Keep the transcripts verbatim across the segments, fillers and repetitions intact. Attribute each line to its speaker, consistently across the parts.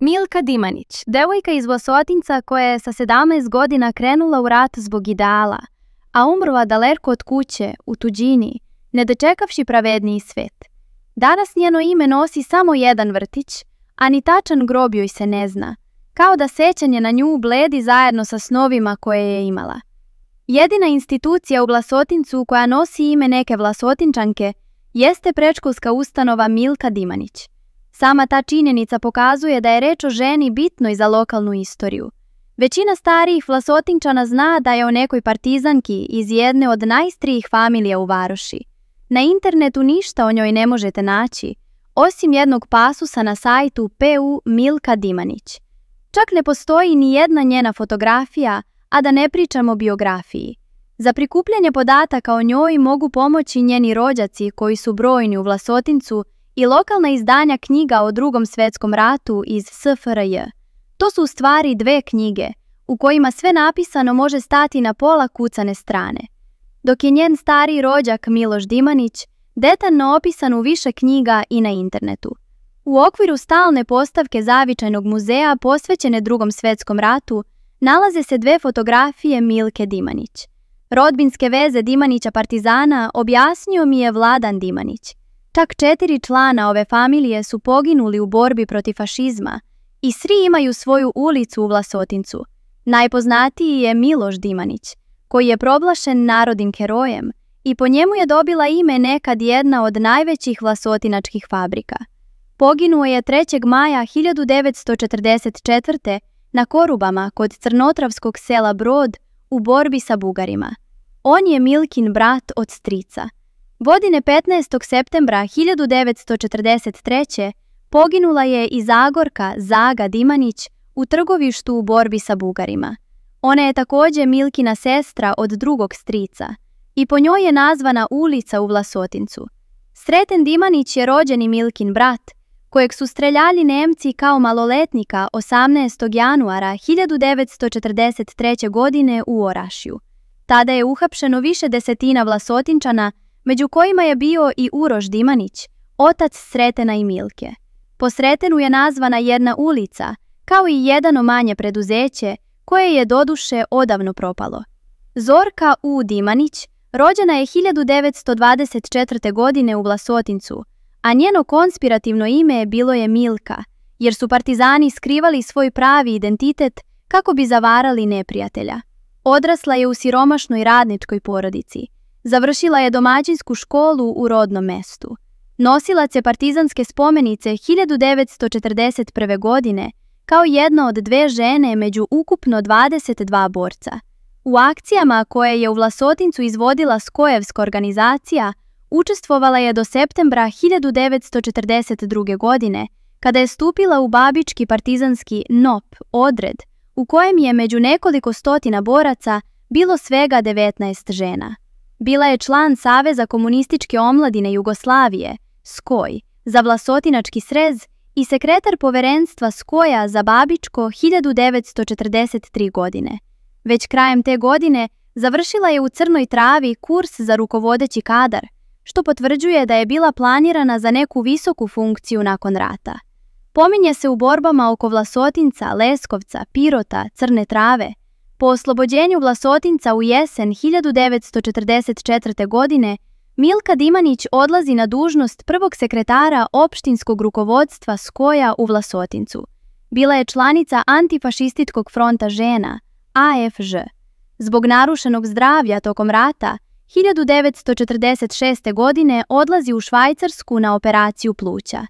Speaker 1: Milka Dimanić, devojka iz Vlasotinca koja je sa sedamnaest godina krenula u rat zbog ideala, a umrla daleko od kuće, u tuđini, ne dočekavši pravedniji svet. Danas njeno ime nosi samo jedan vrtić, a ni tačan grob joj se ne zna, kao da sećanje na nju bledi zajedno sa snovima koje je imala. Jedina institucija u Vlasotincu koja nosi ime neke Vlasotinčanke jeste predškolska ustanova Milka Dimanić. Sama ta činjenica pokazuje da je reč o ženi bitnoj za lokalnu istoriju. Većina starijih Vlasotinčana zna da je o nekoj partizanki iz jedne od najstarijih familija u varoši. Na internetu ništa o njoj ne možete naći, osim jednog pasusa na sajtu P U Milka Dimanić. Čak ne postoji ni jedna njena fotografija, a da ne pričam o biografiji. Za prikupljanje podataka o njoj mogu pomoći njeni rođaci koji su brojni u Vlasotincu i lokalna izdanja knjiga o Drugom svetskom ratu iz S F R J. To su u stvari dve knjige, u kojima sve napisano može stati na pola kucane strane. Dok je njen stariji rođak Miloš Dimanić detaljno opisan u više knjiga i na internetu. U okviru stalne postavke Zavičajnog muzeja posvećene Drugom svetskom ratu nalaze se dve fotografije Milke Dimanić. Rodbinske veze Dimanića partizana objasnio mi je Vladan Dimanić. Čak četiri člana ove familije su poginuli u borbi protiv fašizma i svi imaju svoju ulicu u Vlasotincu. Najpoznatiji je Miloš Dimanić, koji je proglašen narodnim herojem i po njemu je dobila ime nekad jedna od najvećih vlasotinačkih fabrika. Poginuo je trećeg maja hiljadu devetsto četrdeset četvrte na Korubama kod crnotravskog sela Brod u borbi sa Bugarima. On je Milkin brat od strica. Godine petnaestog septembra hiljadu devetsto četrdeset treće poginula je i Zagorka Zaga Dimanić u Trgovištu u borbi sa Bugarima. Ona je također Milkina sestra od drugog strica i po njoj je nazvana ulica u Vlasotincu. Sreten Dimanić je rođeni Milkin brat, kojeg su streljali Nemci kao maloletnika osamnaestog januara hiljadu devetsto četrdeset treće. godine u Orašju. Tada je uhapšeno više desetina Vlasotinčana, među kojima je bio i Uroš Dimanić, otac Sretena i Milke. Po Sretenu je nazvana jedna ulica, kao i jedno manje preduzeće, koje je doduše odavno propalo. Zorka U. Dimanić rođena je hiljadu devetsto dvadeset četvrte. godine u Vlasotincu, a njeno konspirativno ime bilo je Milka, jer su partizani skrivali svoj pravi identitet kako bi zavarali neprijatelja. Odrasla je u siromašnoj radničkoj porodici. Završila je domaćinsku školu u rodnom mestu. Nosilac je partizanske spomenice hiljadu devetsto četrdeset prve. godine, kao jedna od dve žene među ukupno dvadeset dva borca. U akcijama koje je u Vlasotincu izvodila Skojevska organizacija, učestvovala je do septembra hiljadu devetsto četrdeset druge. godine, kada je stupila u babički partizanski N O P odred, u kojem je među nekoliko stotina boraca bilo svega devetnaest žena. Bila je član Saveza komunističke omladine Jugoslavije, Skoj, za Vlasotinački srez i sekretar poverenstva Skoja za Babičko hiljadu devetsto četrdeset treće. godine. Već krajem te godine završila je u Crnoj Travi kurs za rukovodeći kadar, što potvrđuje da je bila planirana za neku visoku funkciju nakon rata. Pominje se u borbama oko Vlasotinca, Leskovca, Pirota, Crne Trave. Po oslobođenju Vlasotinca u jesen hiljadu devetsto četrdeset četvrte. godine Milka Dimanić odlazi na dužnost prvog sekretara opštinskog rukovodstva Skoja u Vlasotincu. Bila je članica Antifašističkog fronta žena, A F Ž. Zbog narušenog zdravlja tokom rata, hiljadu devetsto četrdeset šeste. godine odlazi u Švajcarsku na operaciju pluća.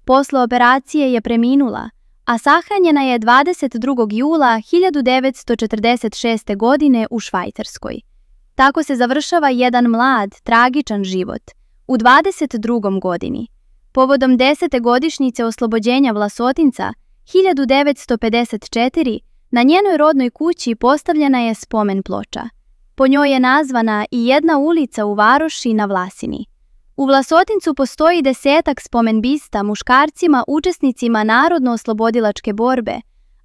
Speaker 1: Posle operacije je preminula, a sahranjena je dvadeset drugog jula hiljadu devetsto četrdeset šeste. godine u Švajcarskoj. Tako se završava jedan mlad, tragičan život u dvadeset drugoj. godini. Povodom desete godišnjice oslobođenja Vlasotinca hiljadu devetsto pedeset četvrte. na njenoj rodnoj kući postavljena je spomen ploča. Po njoj je nazvana i jedna ulica u varoši na Vlasini. U Vlasotincu postoji desetak spomen-bista muškarcima učesnicima narodno-oslobodilačke borbe,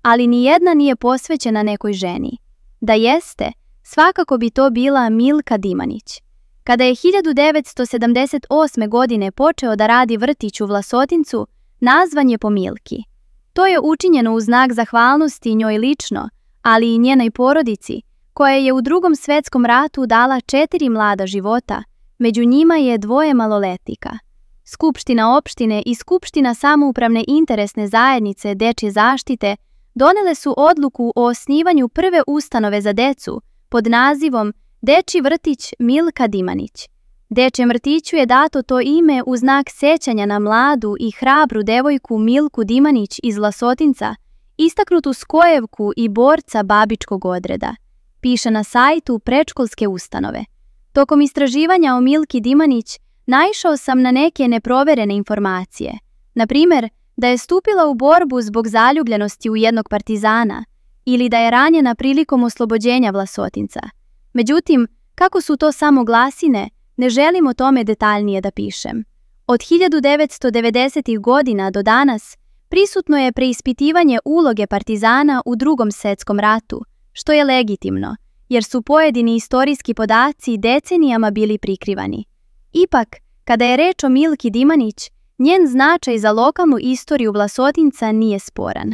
Speaker 1: ali ni jedna nije posvećena nekoj ženi. Da jeste, svakako bi to bila Milka Dimanić. Kada je hiljadu devetsto sedamdeset osme. godine počeo da radi vrtić u Vlasotincu, nazvan je po Milki. To je učinjeno u znak zahvalnosti njoj lično, ali i njenoj porodici, koja je u Drugom svetskom ratu dala četiri mlada života, među njima je dvoje maloletnika. Skupština opštine i Skupština samoupravne interesne zajednice dečje zaštite donele su odluku o osnivanju prve ustanove za decu pod nazivom Dečji vrtić Milka Dimanić. Dečjem vrtiću je dato to ime u znak sećanja na mladu i hrabru devojku Milku Dimanić iz Vlasotinca, istaknutu skojevku i borca babičkog odreda, piše na sajtu predškolske ustanove. Tokom istraživanja o Milki Dimanić naišao sam na neke neproverene informacije, na primjer da je stupila u borbu zbog zaljubljenosti u jednog partizana ili da je ranjena prilikom oslobođenja Vlasotinca. Međutim, kako su to samo glasine, ne želim o tome detaljnije da pišem. Od hiljadu devetsto devedesetih godina do danas prisutno je preispitivanje uloge partizana u Drugom svetskom ratu, što je legitimno, jer su pojedini istorijski podaci decenijama bili prikrivani. Ipak, kada je reč o Milki Dimanić, njen značaj za lokalnu istoriju Vlasotinca nije sporan.